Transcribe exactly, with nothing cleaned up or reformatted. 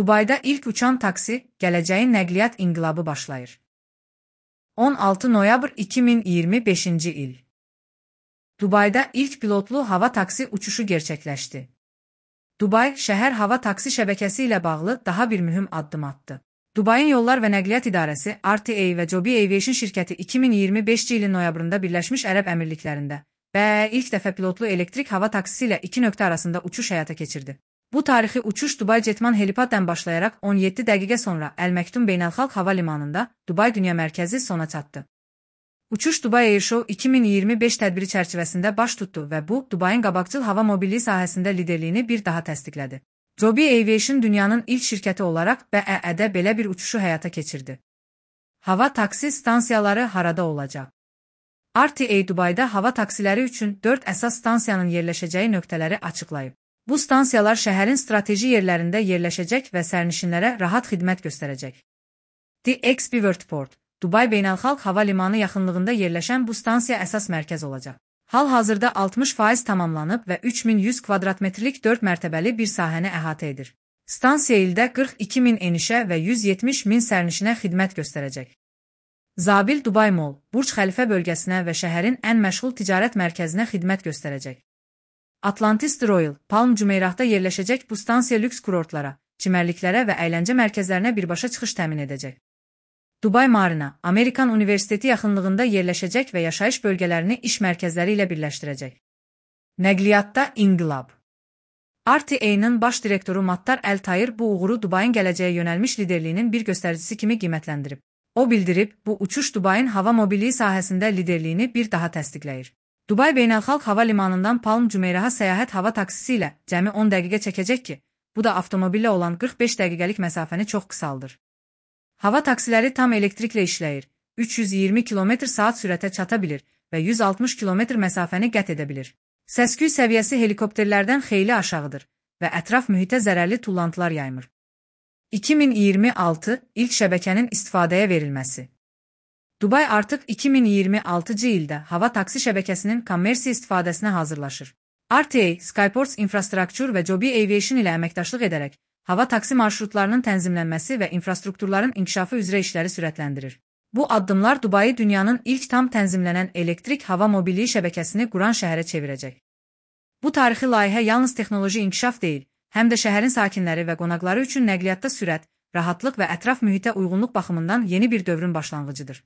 Dubayda ilk uçan taksi, gələcəyin nəqliyyat inqilabı başlayır. on altı noyabr iki min iyirmi beşinci il. Dubayda ilk pilotlu hava taksi uçuşu gerçəkləşdi. Dubay, şəhər hava taksi şəbəkəsi ilə bağlı daha bir mühüm addım attı. Dubayın Yollar və Nəqliyyat İdarəsi, R T A və Joby Aviation şirkəti iki min iyirmi beşinci ilin noyabrında Birləşmiş Ərəb Əmirliklərində və ilk dəfə pilotlu elektrik hava taksisi ilə iki nöqtə arasında uçuş həyata keçirdi. Bu tarixi uçuş Dubay Jetman helipaddan başlayaraq on yeddi dəqiqə sonra Əl Məktum Beynəlxalq Hava Limanında Dubay Dünya Mərkəzi sona çatdı. Uçuş Dubai Airshow iki min iyirmi beş tədbiri çərçivəsində baş tutdu və bu, Dubayın qabaqcıl hava mobilliyi sahəsində liderliyini bir daha təsdiqlədi. Joby Aviation dünyanın ilk şirkəti olaraq B E E-də belə bir uçuşu həyata keçirdi. Hava taksi stansiyaları harada olacaq? R T A Dubayda hava taksiləri üçün dörd əsas stansiyanın yerləşəcəyi nöqtələri açıqlayıb. Bu stansiyalar şəhərin strateji yerlərində yerləşəcək və sərnişinlərə rahat xidmət göstərəcək. The X B Worldport, Dubay Beynəlxalq Hava Limanı yaxınlığında yerləşən bu stansiya əsas mərkəz olacaq. Hal-hazırda altmış faiz tamamlanıb və üç min yüz kvadrat metrlik dörd mərtəbəli bir sahəni əhatə edir. Stansiya ildə qırx iki min enişə və yüz yetmiş min sərnişinə xidmət göstərəcək. Zabil Dubai Mall, Burj Xəlifə bölgəsinə və şəhərin ən məşğul ticarət mərkəzinə xidmət göstərəcək. Atlantis Royal, Palm Jumeirahda yerləşəcək bu stansiya lüks kurortlara, çimərliklərə və əyləncə mərkəzlərinə birbaşa çıxış təmin edəcək. Dubai Marina, Amerikan Universiteti yaxınlığında yerləşəcək və yaşayış bölgələrini iş mərkəzləri ilə birləşdirəcək. Nəqliyyatda inqilab. R T A-nın baş direktoru Mattar Əl-Tayir bu uğuru Dubayın gələcəyə yönəlmiş liderliyinin bir göstəricisi kimi qiymətləndirib. O bildirib, bu uçuş Dubayın hava mobilliyi sahəsində liderliyini bir daha təsdiqləyir. Dubay Beynəlxalq Hava Limanından Palm Jumeirah'a səyahət hava taksisi ilə cəmi on dəqiqə çəkəcək ki, bu da avtomobillə olan qırx beş dəqiqəlik məsafəni çox qısaldır. Hava taksiləri tam elektriklə işləyir, üç yüz iyirmi kilometr saat sürətə çata bilir və yüz altmış kilometr məsafəni qət edə bilir. Səs-küy səviyyəsi helikopterlərdən xeyli aşağıdır və ətraf mühitə zərərli tullantılar yaymır. iki min iyirmi altı ilk şəbəkənin istifadəyə verilməsi. Dubay artıq iki min iyirmi altıncı ildə hava taksi şəbəkəsinin kommersiya istifadəsinə hazırlaşır. R T A, Skyports Infrastructure və Joby Aviation ilə əməkdaşlıq edərək hava taksi marşrutlarının tənzimlənməsi və infrastrukturların inkişafı üzrə işləri sürətləndirir. Bu addımlar Dubayı dünyanın ilk tam tənzimlənən elektrik hava mobilliyi şəbəkəsini quran şəhərə çevirəcək. Bu tarixi layihə yalnız texnoloji inkişaf deyil, həm də şəhərin sakinləri və qonaqları üçün nəqliyyatda sürət, rahatlıq və ətraf mühitə uyğunluq baxımından yeni bir dövrün başlanğıcıdır.